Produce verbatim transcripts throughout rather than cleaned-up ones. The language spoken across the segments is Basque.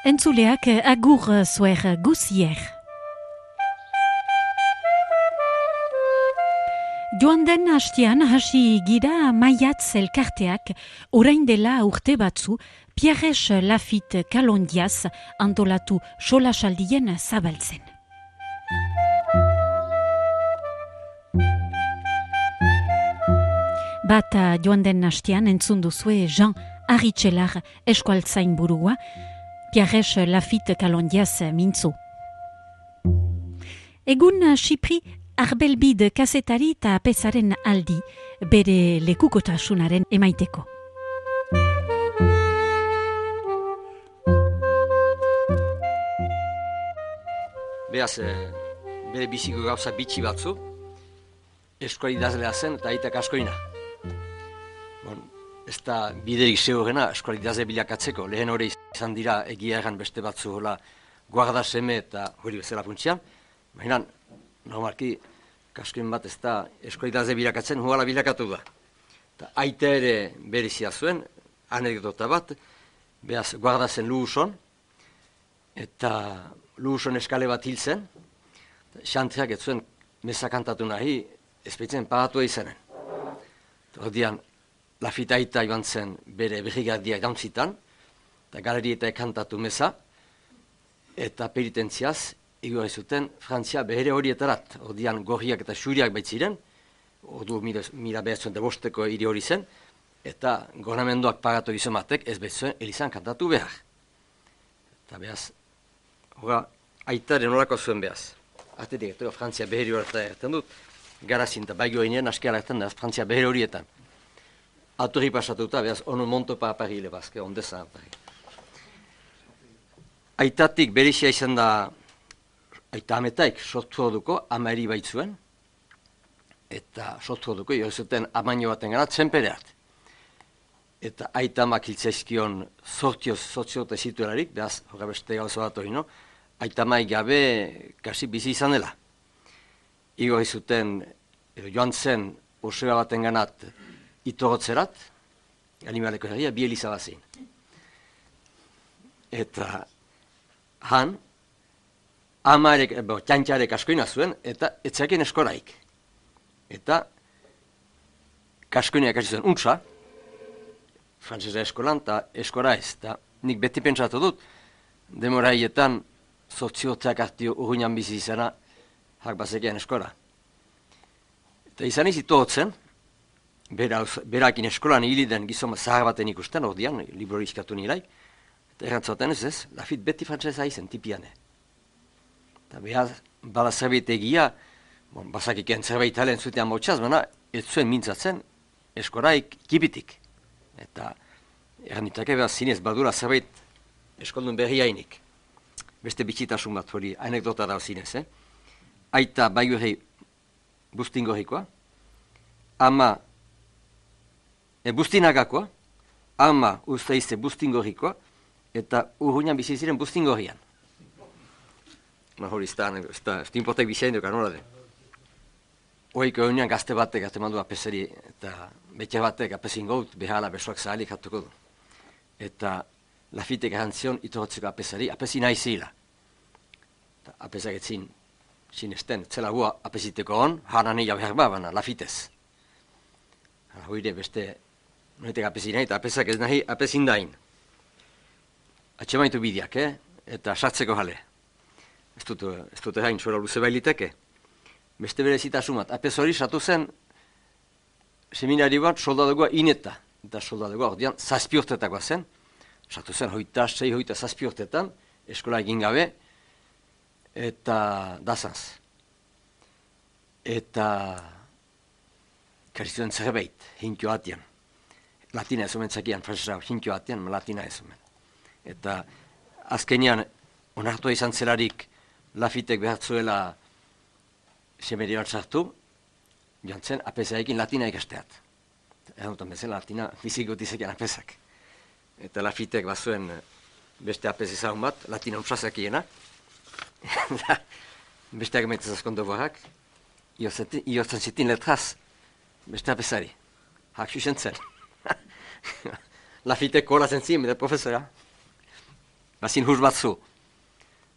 Entzuleak agur zuer guzier. Joan den hastian hasi gira Maiatz elkarteak orain dela urte batzu Pierres Lafitte Kalondiaz antolatu solasaldien zabaltzen. Bata joan den hastian entzun duzue Jean Arritxelar eskualtzain burua, Pierres Lafitte Kalondiaz mintzo. Egun Xipri Arbelbid kazetari eta apezaren aldi, bere lekukotasunaren emaiteko. Beaz, bere biziko gauza bitxi batzu, eskuali idazlea zen eta aitak askoina. Bon, ez da biderik zeugena eskuali idazle bilakatzeko, lehen hori izan dira egia egan beste batzu hola guarda seme eta hori bezala funtsian, baina normalki kaskoin bat ez da eskuali idazle bilakatzen huala bilakatu da. Ta aita ere berezia zuen, anekdota bat, beaz guarda zen Luuson, eta Luuson eskale bat hil zen, xantreak ez zuen meza kantatu nahi, ez baitzen pagatua izanen. Ordian, Lafitte aita joan zen bere brigadia jauntzitan, eta galerietak kantatu meza, eta penitentziaz, igorri zuten Frantzia behere horietarat. Ordian, gorriak eta xuriak baitziren, ordu mila behatzen da bosteko hiri hori zen, eta gornamenduak pagatu gizomatek ez betzuen elizan kantatu behar. Eta behaz, hora, aitaren horako zuen behaz. Atetik, eta Frantzia beheri horretan erten dut, garazin eta baigio inean aski alertan da Frantzia beheri horietan. Aturri pasatuta, behaz, onu monto pa aparile bazke, ondeza apari. Aitatik berixia izan da, aita ametaik sortu orduko, amari baitzuen, eta sortu orduko, jo zuten amaino baten gara, txenpere hart. Eta aita amak hiltzaizkion sortioz, sortioz zituelarik, behaz, horra beste gauza bat hori, no? Aita amai gabe, kasi bizi izan dela. Igorri zuten, joan zen, osera baten ganat, itorotzerat, animaleko herria, bi eliza bazin. Eta han, amarek, bo, txantxarek askoina zuen, eta etzaken eskoraik. Eta kaskoinak hasi zuen untsa, frantzesa eskolan, eta eskora ez. Ta nik beti pentsatu dut, demoraietan, sotziotzak hartio urruinan bizi izana, hak bazekean eskora. Eta izan izi tohotzen, berakin eskolan hiliden gizoma zahar baten ikusten, ordian, libro izkatu nirai, eta errantzaten ez ez, Lafitte beti frantzesa izen, tipiane. Eta behar, bala zerbait egia, bon, bazakiken zerbait halen zutean motxaz, baina ez zuen mintzatzen eskoraik kipitik. Eta errantitake behar zinez badura zerbait eskoldun berri hainik. Beste bitxitasun bat hori anekdota da zinez, eh? Aita baigurri bustingorikoa, ama e, bustinagakoa, ama usteizte bustingorikoa, eta urruinan bizi ziren bustingorrian. Ma hori ez da, ez da, ez da importek bizain dukan, nola den. Oiko egunean gazte batek, gazte mandu apesari, eta betxe batek apesin gaut, behala besoak zahalik hatuko du. Eta Lafittek erantzion itorotzeko apesari, apesi nahi zila. Apesak etzin, sinesten, zela gua apesiteko on, haran ega behar babana, Lafittez. Hoire beste, noitek apesi nahi, eta apesak ez nahi, apesin dain. Atxemaitu bideak, eh? Eta sartzeko jale. Ez dut, ez dut hain sola luze bailiteke. Beste bere zitasumat, apes hori satu zen, seminari bat soldadogoa ineta. Eta soldadogoa, ordean, zazpi urtetakoa zen. Satu zen, hoita, sei, hoita, zazpi urtetan, eskola egin gabe, eta dazanz. Eta kasi zuen zerbait, hinkio atian. Latina ez omen zakian, frantzesa hinkio atian, latina ez omen. Eta azkenean, onartua izan zelarik, Lafittek behartzuela semeri bat sartu, joan zen, apesaekin latina ikasteat. Erdutan bezala, latina bizikot izakian apesak. Eta Lafittek bazuen beste apes ezagun bat, latina untsazakiena. Besteak meitez askondo borrak, iortzen zitin letraz, beste apesari. Hak xuxen zen. Lafittek kola zen zien, bide profesora. bazin huz batzu,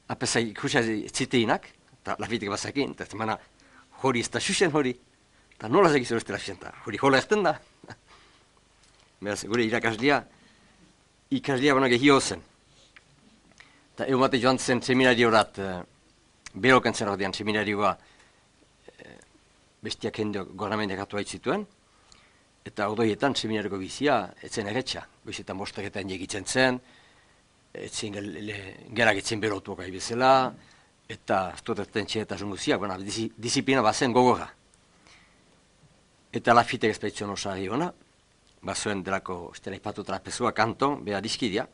apesa ikusia ziteinak, eta lafitek bazakin, eta zemana hori ez da xuxen hori, eta nola zegizu ez dela xuxen, eta hori hola ezten da. Beraz, gure irakaslia, ikaslia baina gehio zen. Eta egun bate joan zen seminariorat, uh, beroken zen ordean seminarioa, uh, bestiak hendo gornamendeak atu zituen, eta ordoietan seminariko bizia, etzen erretxa, goizetan bostaketan jegitzen zen, etzen gerak etzen berotuak gai bezala, eta stotetan txeretasun guziak, bueno, disiplina bazen gogorra. Eta lafitek espedizion osari hona, bazuen delako, estela ipatu trapezua kanton, beha dizkidia,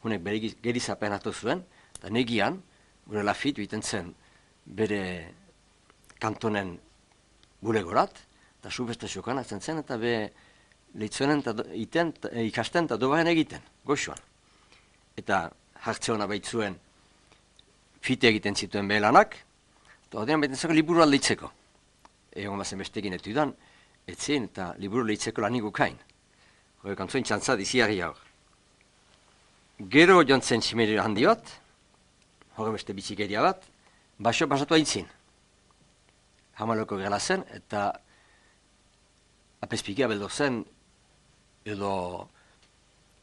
honek bere gerizapen hartu zuen, eta negian, gure lafit biten zen bere kantonen bulegorat, eta subestaziokan hartzen zen, eta be lehitzuenen iten, ikasten eta dobaren egiten, goxuan. Eta hartze hona baitzuen fite egiten zituen behelanak, eta ordean baiten zako liburu aldeitzeko. Egon bazen bestekin etudan, etzen eta liburu lehitzeko lanik ukain. Hore kantzuen txantzat iziarri hor. Gero joan zen simerio handi bat, hori beste bitxikeria bat, baso pasatu aintzin. Hamaloko gela zen, eta apezpikia beldo zen, edo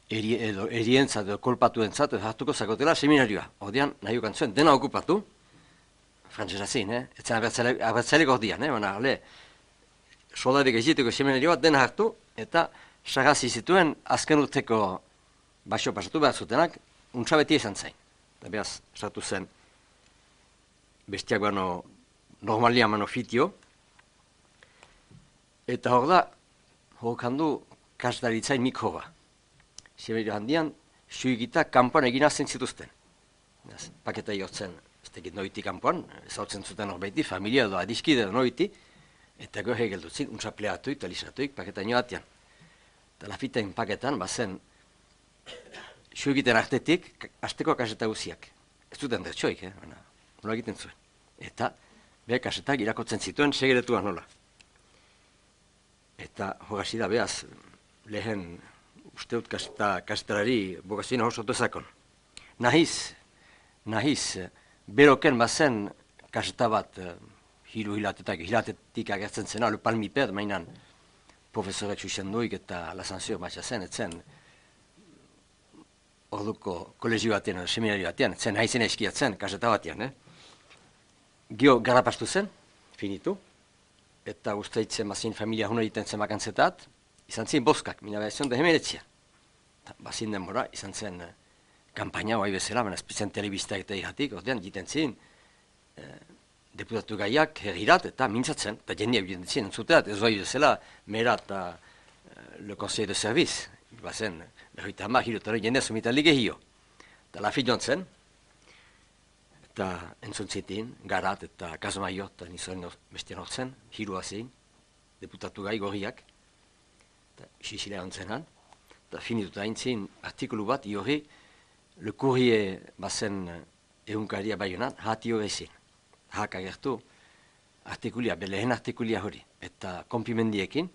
eri, edo erientzat, edo kolpatuentzat, edo hartuko zakotela seminarioa. Ordean, nahi ukantzuen, dena okupatu, frantzesa zin, eh? Etzen abertzaleko ordean, eh? Baina, le, soldarik egiteko seminarioa dena hartu, eta sagazi zituen azken urteko baso pasatu behar zutenak, untsa beti izan zain. Eta behaz, sartu zen, bestiak bano normalia mano fitio, eta hor da, hor kandu kasdaritzain mikroba. Semerio handian, suigita kanpoan egina zen zituzten. Behaz, paketa jortzen, ez tekit noiti kanpoan, ezautzen zuten hor behiti, familia edo adiskide edo noiti, eta gohe geldutzin, untsa pleatuik, talisatuik, paketa nio atian. Eta lafitain paketan, bazen, suigiten artetik, azteko kaseta guziak. Ez duten dertsoik, eh? Baina, nola egiten zuen. Eta, beha kasetak irakotzen zituen, segeretuan nola. Eta, hogasi da, behaz, lehen, usteut kaseta, kasetarari, bogazina hor soto ezakon. Nahiz, nahiz, beroken bazen kaseta bat, hiru hilatetak, hilatetik agertzen zena, le palmiped, mainan, profesoretsu izan duik eta lasanzio batxa zen, etzen, orduko kolegio batean, seminario batean, zen haizen eskiatzen, kaseta batean, eh? Gio garrapastu zen, finitu, eta usteitzen bazin familia huno egiten zen makantzetat, izan zen boskak, mina behazion da hemeretzia. Bazin denbora, izan zen eh, kampaina, oai bezala, baina espitzen telebiztak eta irratik, ordean, jiten zen, eh, deputatu gaiak herrirat eta mintzatzen, eta jendeak egiten zen, entzuteat, ez oai bezala, mera eta eh, le conseil de service, bazen, berroita hamar, hirotaro jendea somitalik egio. Eta lafi joan zen, eta entzuntzitin, garat eta kasmaio, eta nizoen bestian hortzen, hirua zein, deputatu gai gorriak, eta xixilea ontzenan, eta finituta aintzin artikulu bat, iori, le courrier bazen egunkaria baionan, hati horrezin. Hak agertu, artikulia, belehen artikulia hori, eta konpimendiekin,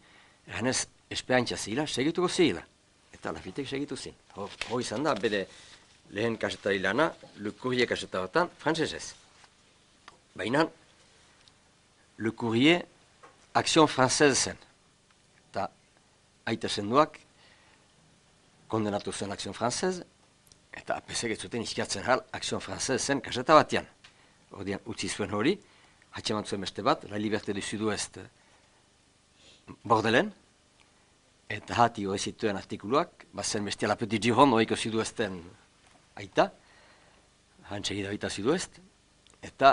eranez, esperantza zila, segituko zila. Eta lafitek segitu zin. Hor izan da, bere lehen kasetari lana, Le Courrier kasetaratan, frantzesez. Baina, Le Courrier, Action Française zen. Eta aita zenduak, kondenatu zen Action Française, eta apesek ez zuten izkiatzen hal, Action Française zen kaseta batean. Ordean, utzi zuen hori, hatxeman zuen beste bat, La Liberté du Sud-Ouest Bordelen, eta hati hori zituen artikuluak, bazen bestia La Petite Gironde horiko Sud-Ouesten aita, hantzegida aita Sud-Ouest, eta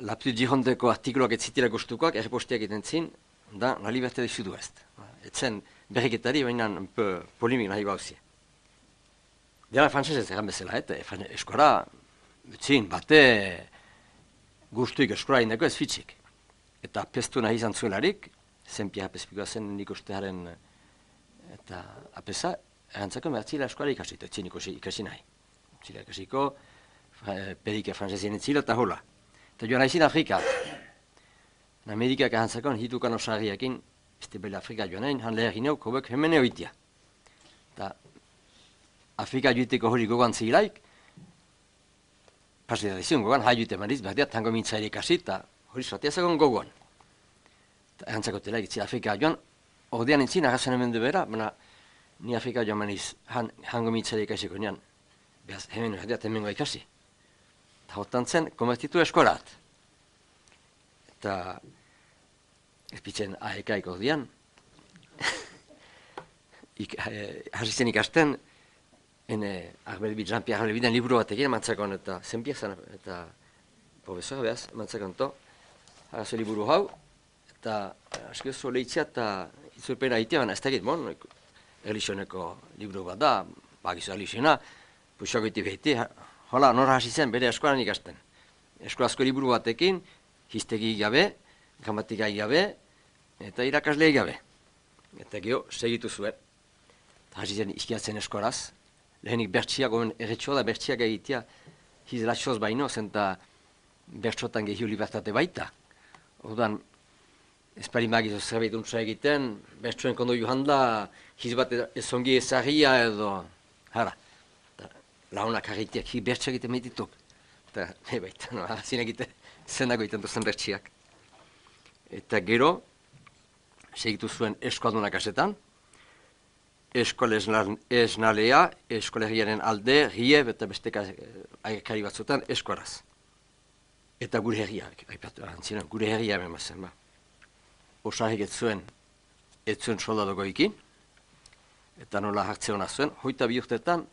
La Petite Girondeko artikuluak ez zitira gustukoak, erreposteak egiten zin, da La Liberté du Sud-Ouest. Etzen berriketari, baina un peu polimik nahi bauzia. Dela frantzesez egan bezala, eta eskora, etzin, bate gustuik eskora indako ez fitxik. Eta pestu nahi izan zuelarik, zen pia apespikoa zen nik ustearen eta apesa, erantzako mertzila eskola ikasito, etzin ikasi nahi. Zila ikasiko, pedike frantzesien etzila eta hola. Eta joan haizin Afrika. En Amerikak erantzakon hitukan osarriakin, este bela Afrika joan hain, han leher gineu, kobek hemene oitia. Eta Afrika joiteko hori gogoan zilaik, pasita izan gogoan, haiut emaniz, behar dira, tango mintzaile ikasi, eta hori soatia zagon gogoan. Eta erantzako tela, egitzi Afrika joan, ordean entzin, agazan hemen du bera, baina ni Afrika joan maniz, han, hango mintzaile ikasiko nian, behaz, hemen behar dira, hemengo ikasi. Eta hotan zen, konvertitu eskolat. Eta, ez pitzen ahekaik ordean, Ik, eh, hasi zen ikasten, ene, Arbelbide, Jean-Pierre Arbelbiden liburu bat egin, mantzakon, eta zenpiak zen, eta profesor, behaz, mantzakon to, harazo liburu hau, eta asko zo lehitzea, eta itzulpena itea, baina ez da egit, bon, erlizioneko liburu bat da, bagizu erliziona, puxako iti behiti, hola, nora hasi zen, bere eskolan ikasten. Eskolazko liburu batekin, hiztegi gabe, gramatika gabe, eta irakaslei gabe. Eta geho, segitu zuen. Hasi zen izkiatzen eskolaz, lehenik bertxiak, omen erretxoa da bertxiak egitea, hizlatxoz baino, zenta bertxotan gehiu libertate baita. Orduan, ez pari magizo zerbait untsa egiten, bertxoen kondo johan da, hiz bat ezongi ezagia edo, hara, launak harritiak, hi bertxiak egiten mehitituk. Eta, ne baita, no, hazin egiten, zendago egiten duzen bertxiak. Eta gero, segitu zuen eskualdunak asetan, Eskola esnalea, eskolegiaren alde, rieb eta beste agakari batzutan eskolaz. Eta gure herria, aipatu antzina, gure herria emazen, ba. Osarrik ez zuen, ez zuen soldadoko ikin, eta nola hartze hona zuen, hoita bi urtetan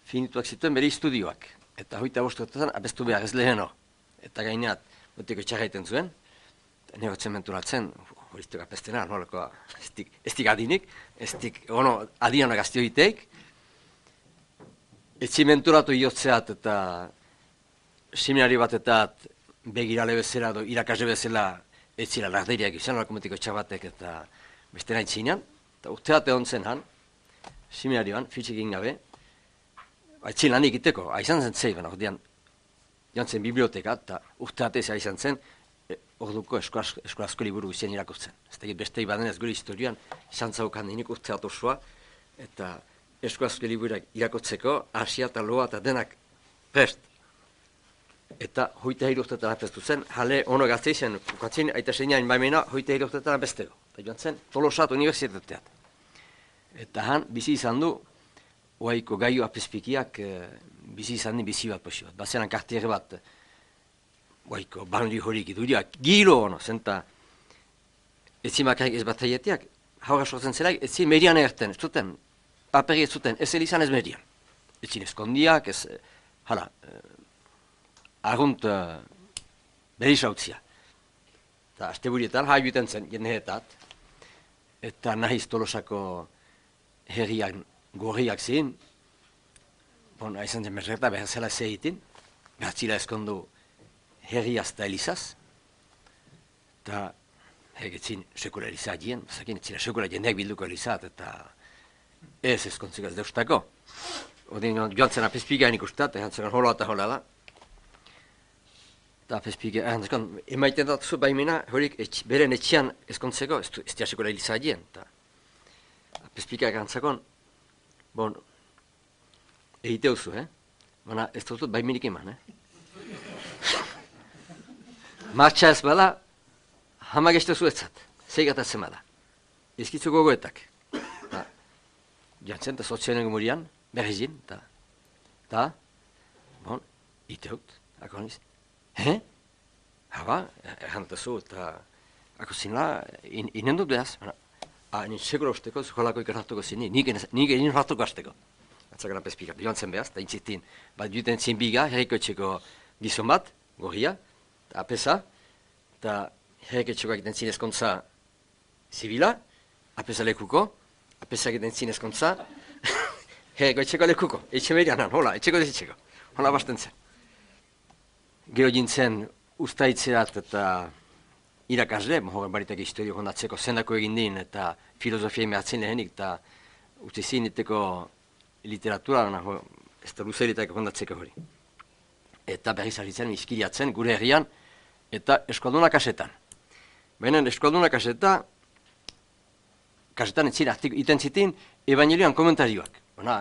finituak zituen bere istudioak. Eta hoita bost urtetan abestu behar ez leheno. Eta gaineat, botiko txarraiten zuen, negotzen menturatzen, horiztuak apestena, nolako, ez dik adinik, ez dik, ono, adianak aztioiteik, etzi menturatu iotzeat eta seminari batetat begirale bezala, do, irakasle bezala, ez zira larderiak izan, nolako metiko txabatek eta beste nahi zinean, eta urteat egon zen han, seminarioan, fitxik ingabe, etzi lan ikiteko, aizan zen zei, baina, ordean, joan zen biblioteka, eta urteat ez aizan zen, orduko eskolazko liburu guztien irakurtzen. Ez da, beste ibaden ez gure historian, izan zaukan dinik urteat osoa, eta eskolazko liburak irakurtzeko, asia eta loa eta denak prest. Eta hoita hiru urtetan apestu zen, jale ono gazte izan, ukatzen aita seinain baimena, hoita hiru urtetan apesteko. Eta joan zen, Tolosat universitateat. Eta han, bizi izan du, oaiko gaio apezpikiak, bizi izan di bizi bat posi bat. Bazenan kartiere bat, Oaiko, bandi horik iduriak, gilo ono, zenta, etzi makarik ez bat aietiak, haura sortzen zelaik, etzi median erten, ez zuten, paperi ez zuten, ez elizan ez median. Etzi eskondiak, ez, hala, argunt uh, berriz hautzia. Eta azte burietan, haiuten zen, jenneetat, eta nahiz Tolosako herriak, gorriak zin, bon, aizan zen merreta, behar zela zeitin, behar zila eskondu, herriaz eta elizaz, eta hegetzin sekula eliza dien, zakin etzina sekula jendeak bilduko elizat, eta ez ezkontziko ez deustako. Odin joan zen apezpigain ikustat, erantzakon hola eta hola da. Eta apezpigain, erantzakon, emaiten datuzu baimena, horik etx, beren etxian ezkontzeko, ez, ez dia sekula eliza dien, eta apezpigain erantzakon, bon, egite huzu, eh? Baina ez dutut baimenik eman, eh? Martxa ez bada, hamageste zuetzat, zeigatatzen bada. Ezkitzu gogoetak. Jantzen, eta sotzionen gomurian, berrizin, eta, eta, bon, iteut, ako niz, he? Haba, errantazu, eta, ako zinla, in, inen dut behaz, ah, nien segura usteko, zuholako ikarratuko zini, nik egin ratuko azteko. Atzakana pezpika, joan zen behaz, eta intzitin, bat juten zin biga, herriko etxeko gizon bat, gorria, apesa, eta herreketxoak egiten zin ezkontza zibila, apesa lekuko, apesa egiten zin ezkontza, herreketxeko lekuko, etxe merianan, hola, etxeko dezetxeko, hola basten zen. Gero jintzen ustaitzeat eta irakasle, horren baritak historio hondatzeko zendako egin din, eta filosofia mehatzen lehenik, eta uste zin iteko literatura, ez da luzeritak hondatzeko hori. Eta berriz aritzen, izkiriatzen, gure herrian, eta eskualdunak asetan. Baina eskualdunak aseta, kasetan etzira, iten zitin, evangelioan komentarioak. Bona,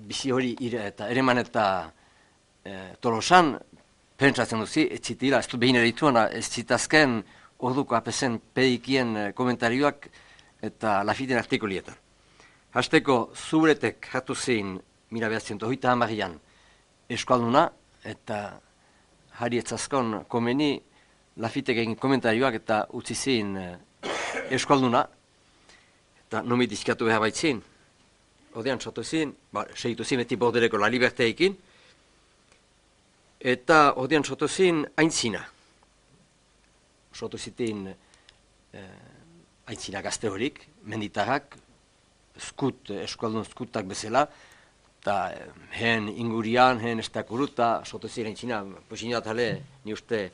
bizi hori ire, eta ereman eta e, Tolosan, pentsatzen duzi, ez zitila, ez du behin erituana, ez zitazken orduko apesen pedikien e, komentarioak eta Lafiten artikulietan. Hasteko Zuretek hartu zein mila behatzen hogeita hamarian eskalduna, eta Hari etzazkon komeni Lafitek egin komentarioak eta utzi zein e, eskalduna, eta nomi dizkatu behar baitzin. Odean txatu zin, ba, segitu zin beti bordereko La Liberteekin, eta odean txatu zin aintzina. Txatu zitin eh, aintzina gazte horik, menditarrak, skut, eskaldun skutak bezala, eta eh, hen ingurian, hen estakuruta, txatu zin aintzina, posinat hale, ni uste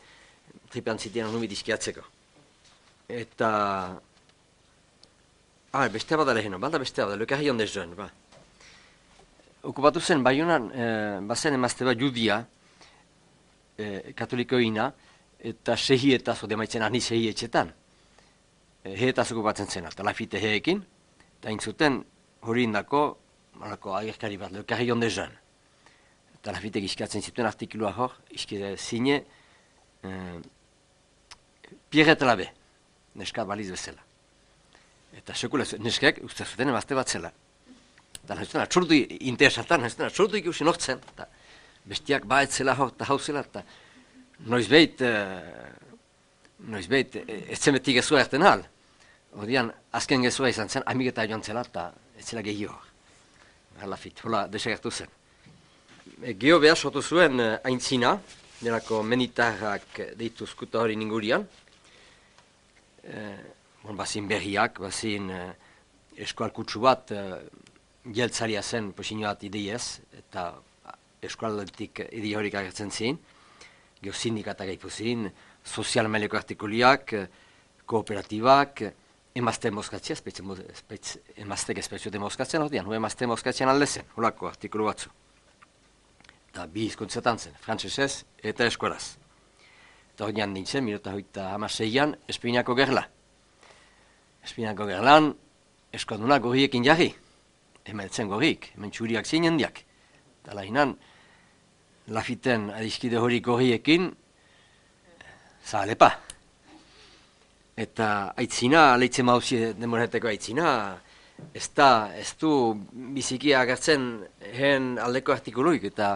tripean zitean nomi dizkiatzeko. Eta... Ah, beste bat aleheno, balda beste bat, lekarri onde joan, ba. Okupatu zen, Baionan, eh, bazen emazte bat judia, eh, katolikoina, eta sehietaz, ode maitzen ahni sehietxetan. Eh, heetaz okupatzen zen, eta Lafite heekin, eta intzuten hori indako, malako agerkari bat, lekarri onde joan. Eta Lafite gizkatzen zituen artikulua hor, izkide zine, eh, Pierre Telabe, neska baliz bezala. Eta sekula neskek uste zuten emazte bat zela. Eta nahi zuten atxurdu interesatan, nahi zuten atxurdu ikusi nortzen. Eta bestiak baet zela hor eta hau zela. Eta noizbeit, e, noizbeit, ez zen beti gezua erten hal. Odian, azken gezua izan zen, amigeta joan zela eta ez zela gehi hor. Hala fit, hola desegertu zen. E, Geho behar sotu zuen e, aintzina, nerako menitarrak deitu skuta hori ningurian. E, Bon, bazin berriak, bazin eh, eskualkutsu bat eh, jeltzaria zen posinoat ideiez, eta eskualdetik idei horik agertzen zin, geho sindikatak gaitu zin, sozial maileko artikuliak, kooperatibak, emazte mozkatzia, emaztek espetxote mozkatzen, hodian, hu emazte mozkatzen alde zen, holako artikulu batzu. Eta bi hizkuntzatan zen, frantsesez eta eskolaz. Eta hodian nintzen, minuta hoita hamaseian, Espinako gerla. Espinako gerlan, eskaldunak gorriekin jarri. Hemen zen gorriek, hemen txuriak zinen diak. Eta lahinan, Lafiten adizkide hori gorriekin, zahalepa. Eta aitzina, leitzen mauzi demoreteko aitzina, ez da, ez du biziki agertzen hen aldeko artikuluik, eta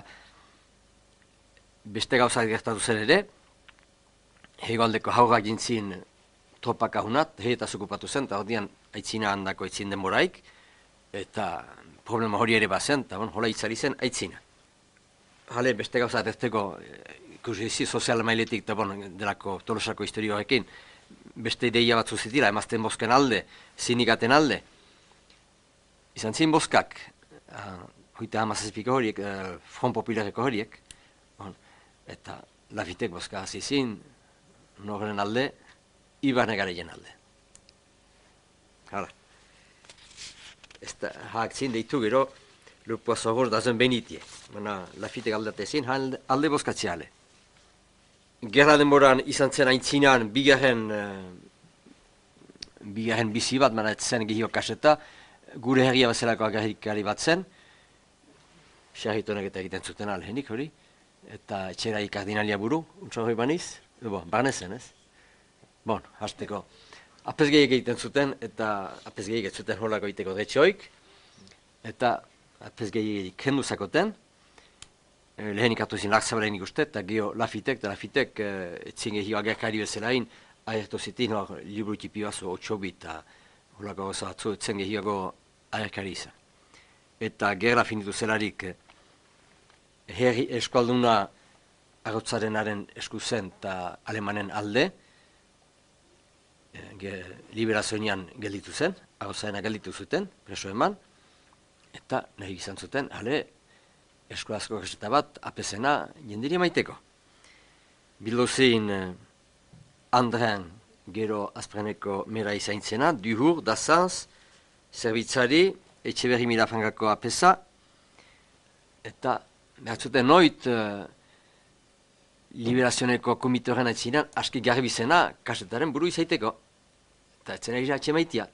beste gauzak gertatu zen ere, hego aldeko haurrak jintzin tropak ahunat, heetaz okupatu zen, eta hodian aitzina handako aitzin denboraik, eta problema hori ere bazen, eta bon, hola itzari zen aitzina. Hale, beste gauza erteko, ikusi sozial mailetik, eta bon, delako Tolosako historioarekin, beste ideia batzu zitila, emazten bosken alde, sindikaten alde. Izan zin boskak, uh, hoita hamazazpiko horiek, uh, Front Populareko horiek, bon, eta Lafitek boska hasi zin, norren alde, Ibarne Gareien alde. Hala. Ez da, haak zin deitu gero, lupua zogor dazen benitie. Baina, Lafitek aldate zin, alde boskatziale. Gerra denboran izan zen aintzinan, bigarren, uh, bigarren bizi bat, baina ez zen gehiok kaseta, gure herria bezalako agarrikari bat zen, xarritonek eta egiten zuten alhenik hori, eta etxera ikardinalia buru, untsa hori baniz, bo, barne zen, ez? Bon, hasteko, apesgeiek egiten zuten, eta apesgeiek ez zuten holako egiteko detxoik, eta apesgeiek kendu zakoten, eh, lehenik hartu zin lakzabalenik uste, eta geho Lafitek, eta Lafitek eh, etzin gehio agerkari bezalain, ahertu zitin hor liburu tipi bazo otxobi, eta holako goza batzu etzen gehiago agerkari izan. Eta gerra finitu zelarik, eh, herri eskualduna arrotzarenaren esku zen eta alemanen alde, liberazioan gelditu zen, arrotzaena gelditu zuten, preso eman, eta nahi izan zuten, hale, eskolazko kaseta bat, apesena jendiri maiteko. Bildu zein eh, Andren gero azpreneko mera izaintzena, duhur, dazanz, zerbitzari, etxeberri mirafangako apesa, eta behar zuten noit, eh, liberazioneko komitoren aitzinan, aski garbi zena kasetaren buru izaiteko. Eta etzen egia atxe maitia.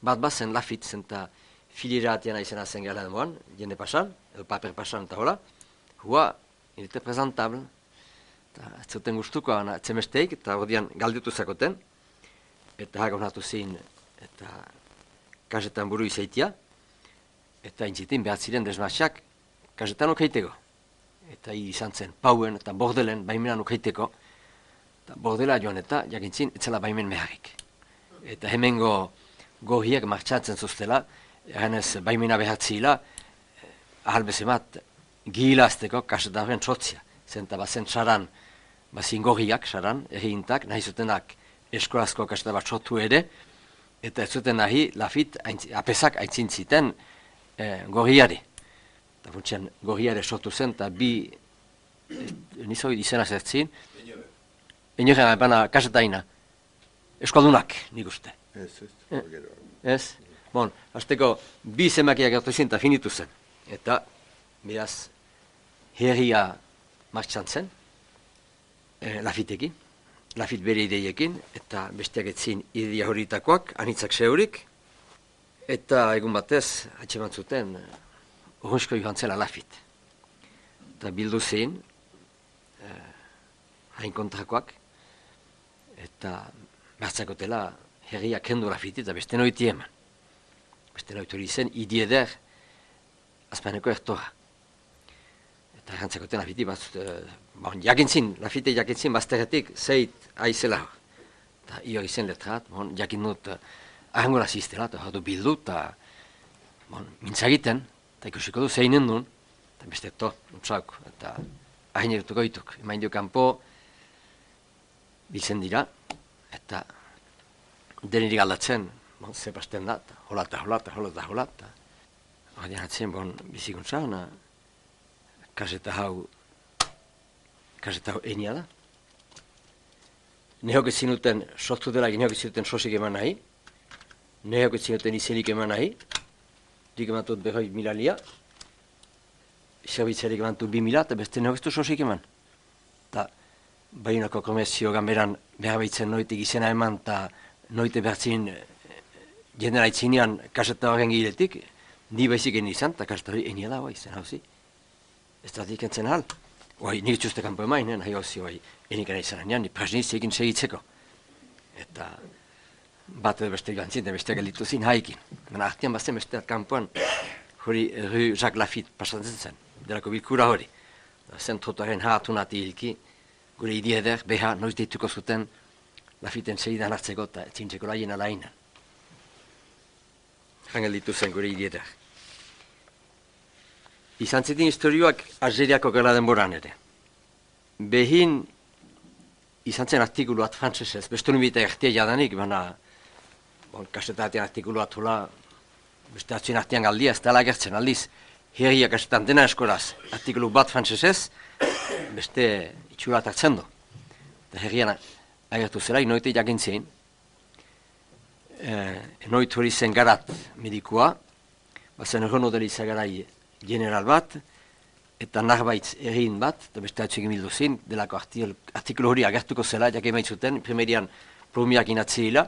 Bat bazen Lafit zen eta filira atiana izena zen gala demoan, jende pasan, edo paper pasan eta hola. Hua, il était présentable. Eta ez zuten gustuko, etzemesteik, eta ordean galdutu zakoten. Eta haga honatu zein, eta kasetan buru izaitia. Eta intzitin behar ziren desmaxak kasetan ukeiteko. Eta izan zen pauen eta bordelen baimenan ukeiteko. Eta bordela joan eta jakintzin etzela baimen meharrik. Eta hemengo gohiek martxatzen zuztela, eganez baimena behatzila, ahal bezemat gihilazteko kasetan horren txotzia. Zenta bazen txaran, bazin gohiak txaran, erriintak, nahi zutenak eskolazko kasetan bat txotu ere, eta ez zuten nahi lafit apesak aintzin ziten eh, gohiari. Eta funtsian gohiare sortu zen, eta bi, nizoi izena zertzin, enoren bana kasetaina, eskaldunak, nik uste. Ez, ez, eh, gero. Ez? Bon, hasteko bi zemakiak gertu zen eta finitu zen. Eta, beraz, herria martxan zen, eh, lafitekin, lafit bere ideiekin, eta besteak etzin ideia horitakoak, anitzak seurik, eta egun batez, atxeman zuten, urrunsko joan zela lafit. Eta bildu zein, eh, hain kontrakoak, eta bertzakotela herria kendu lafitit, eta beste noiti eman. Beste noiti hori zen, idieder, azpaneko ertora. Eta erantzakoten lafiti, bat, uh, bon, jakintzin, lafite jakintzin, bazterretik, zeit aizela hor. Eta hio izen letrat, bon, jakin dut, uh, ahangola ziztela, eta hor du bildu, eta bon, mintzagiten, eta ikusiko du zeinen duen, eta beste to, nutzauk, eta ahin erutuko dituk. Emain dio kanpo, biltzen dira, eta denirik aldatzen, bon, zepasten da, hola eta hola eta hola eta hola, eta hori atzen, bon, bizikuntza, ona, kaseta hau, kaseta hau enia da. Nehok ezin duten, sortu dela, nehok ezin duten sosik eman nahi, nehok ezin duten izenik eman nahi, dik emantut behoi milalia, zerbitzerik emantut bi mila, eta beste nehok ez du sosik eman. Eta, Baionako komertzio gamberan behar behitzen noitek izena eman, eta noite behartzin jendera itzinean kaseta horren giletik, ni baizik egin izan, eta kaseta hori enia da, bai, zen hauzi. Ez da dikentzen hal. Oai, nik txuste kanpo emain, nahi hauzi, oai, enikera izan anean, ni prasniz egin segitzeko. Eta bat edo beste joan zinten, beste gelditu zin haikin. Baina artean bazen besteat kanpoan, hori Rue Jacques Lafitte pasatzen zen, delako bilkura hori. Zen trotuaren hartu nati hilki, gure idieder, beha, noiz deituko zuten Lafitten segidan hartzeko eta etzintzeko laien alainan. Jangel ditu zen gure idieder. Izan zitin historioak Algeriako gela denboran ere. Behin izan zen artikuluat frantzesez, beste nubita ertia jadanik, baina bon, kasetatean artikuluat hula, beste atzien artean galdia, ez dela gertzen aldiz, herria kasetan dena eskoraz, artikulu bat frantzesez, beste itxurat hartzen du. Eta herrian agertu zela, inoite jakintzen, eh, inoit hori zen garat medikua, bazen erron odeli zagarai general bat, eta narbaitz errin bat, eta beste atxegin bildu zen, delako artikulu hori agertuko zela, jake maitzuten, primerian plumiak inatzila,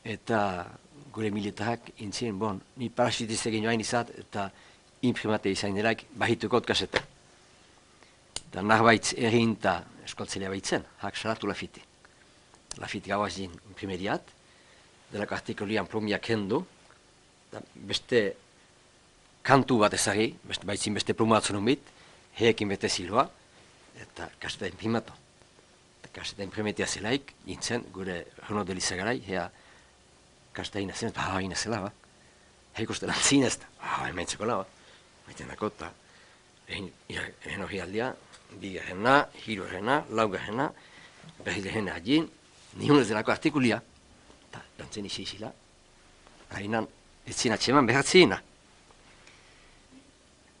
eta gure militarak intzien, bon, ni parasitiz egin joain izat, eta imprimate izan delaik, bahitukot kasete. Eta narbaitz errin eta eskoltzelea baitzen, hak salatu Lafite. Lafite gauaz din imprimeriat, delako artikulian plumiak hendu, beste kantu bat ezagi, beste, baitzin beste plumatzen unbit, heekin bete ziloa, eta kaseta imprimatu. Eta kaseta imprimetia zelaik, gintzen, gure Renaud de Lizagarai, hea kaseta inazen, ba, inazela, ba. Heik uste lan zinez, ba, emaitzeko la, ba. Maiten dako, eta egin hori aldia, bigarrena, hirugarrena, laugarrena, berrigarrena agin, nihun ez delako artikulia, eta lantzen isi isila, hainan, ez zina txeman behatzina.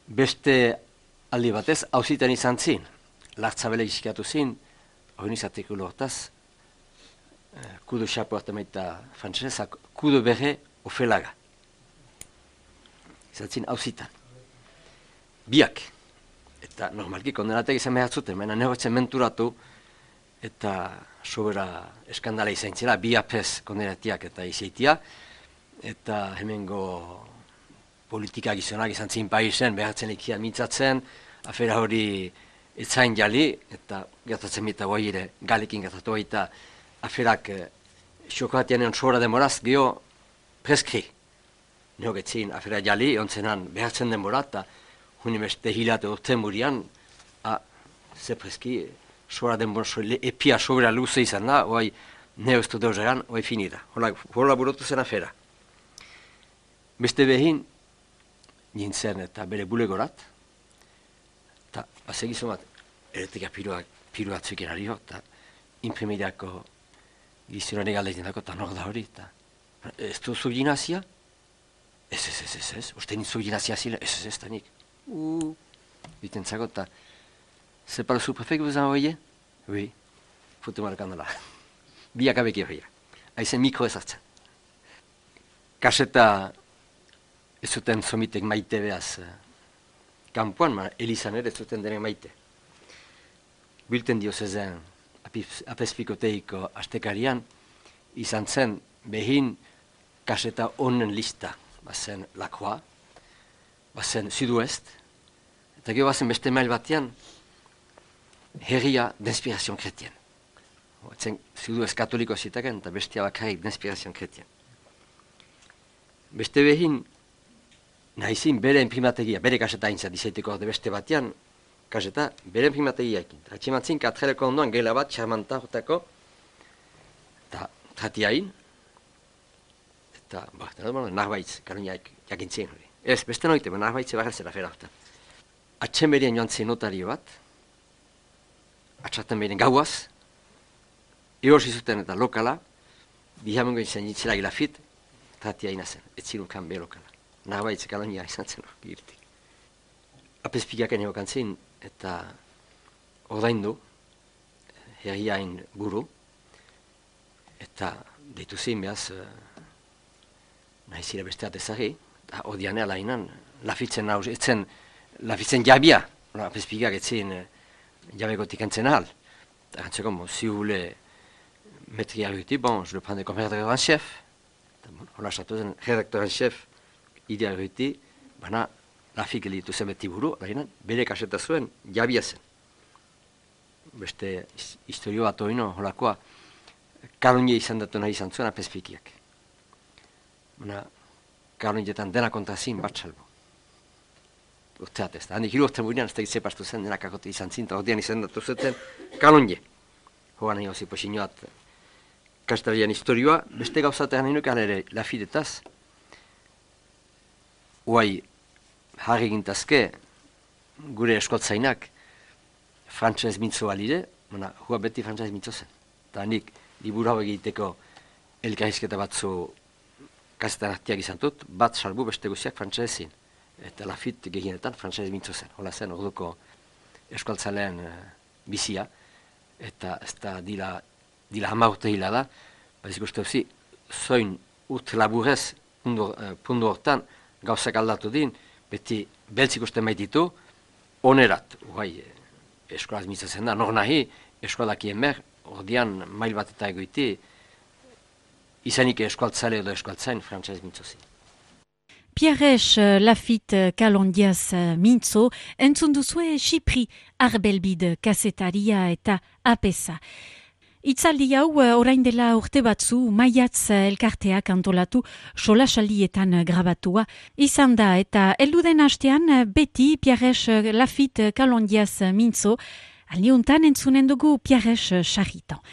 Beste aldi batez, hauzitan izan zin, lartzabele izkiatu zin, hori artikulu hortaz, kudo xapo hartamaita frantzesezak, kudo berre ofelaga. Izan zin hauzitan. Biak, eta normalki kondenatek izan behar zuten, baina nehotzen menturatu, eta sobera eskandala izan zela, bi apez kondenatiak eta izaitia, eta hemengo politika gizonak izan zin paisen, behartzen ikian mintzatzen, afera hori etzain jali, eta gertatzen bita guai ere galekin gertatu eta aferak eh, xokatianean sohora demoraz geho preskri. Neo getzin afera jali, ontzenan behartzen denbora, eta huni beste hilate urte murian, a, ze preski, sohora denbora, so, epia sobera luze izan da, oai neo ez dut euseran, oai finira. Hola, hola burutu zen afera. Beste behin, nintzen eta bere bulegorat, eta basegizu bat, eretika piruak, piruatzuk erari hor, eta imprimideako gizionari galdetzen dako, eta nor da hori, eta ez duzu ginazia? Ez, ez, ez, ez, ez, uste nintzu ginazia zile, ez, ez, ez, eta nik. Uuu, biten zago, eta c'est pas le sous-préfet que vous envoyez? Oui, foute markandala. Biak abeki horria. Aizen mikro ezartzen. Kaseta ez zuten somitek maite behaz kanpoan, ma elizan ere ez zuten denek maite. Bilten dio zezen apezpikoteiko astekarian, izan zen behin kaseta onen lista. Bazen La Croix, bazen Sud-Ouest, eta gero bazen beste mail batean herria d'inspiration chrétienne. Batzen Sud-Ouest katoliko zitaken, eta bestia bakarrik d'inspiration chrétienne. Beste behin, nahizin bere imprimategia, bere kaseta aintzat izaiteko orde beste batean, kaseta bere imprimategia ekin. Hatximatzin katreleko ondoan gela bat, txarmanta hortako, eta tratiain, eta, ba, narbaitz, karuniaik jakintzen hori. Ez, beste noite, ba, narbaitze barra zera fera hortan. Atxemerien joan zen notario bat, atxartan behin gauaz, eorsi zuten eta lokala, bihamungo izan jitzela gilafit, tratia inazen, ez zirukan be lokala. Narbaitze karunia izan zen hori girtik. Apezpikaken egokan zen, eta ordaindu, herriain buru, eta deitu zen behaz, nahizire besteat ezagri, eta odianea lainan, lafitzen nauz, etzen, lafitzen jabia, apezpikak etzen jabegotik entzen ahal. Eta gantzeko, bon, si vous voulez metri arguti, bon, je le prends comme rédacteur en chef. Hola esatu zen, rédacteur en chef, ide arguti, baina lafik elitu zen beti buru, lainan, bere kaseta zuen, jabia zen. Beste historio bat oino, holakoa, karunie izan datu nahi izan zuen apezpikiak. Baina, karunietan dena kontazin bat salbo. Urteat ez da. Handik hiru urte buinean ez da itzepastu zen denak akote izan zinta, ordean izan datu zuten karunie. Hogan nahi hozi posinoat kastarian historioa, beste gauzatean nahi nukan ere lafidetaz. Uai, harri gintazke, gure eskoltzainak frantzez mintzo balide, baina hua beti frantzez mintzo zen. Eta handik, liburu hau egiteko elkarrizketa batzu kasetan artiak izan dut, bat salbu beste guziak frantzezin. Eta lafit gehienetan frantzez mintzo zen. Hola zen, orduko eskualtzalean uh, bizia, eta ez da dila, dila hama urte hila da, bat ikuste huzi, zoin urt laburez pundu, uh, pundu hortan gauzak aldatu din, beti beltzik uste maititu, onerat, uai, eskolaz mintzo zen da, nor nahi, eskolakien mer, ordean mail bat eta egoiti, izanik eskualtzale edo eskualtzain frantzez mintzo zin. Pierres Lafitte Kalondiaz mintzo, entzun duzue Xipri Arbelbide kasetaria eta apesa. Itzaldi hau orain dela urte batzu maiatz elkarteak antolatu solasaldietan grabatua izan da eta helduden hastean beti Pierres Lafitte Kalondiaz mintzo, aldiuntan entzunen dugu Pierres Charritan.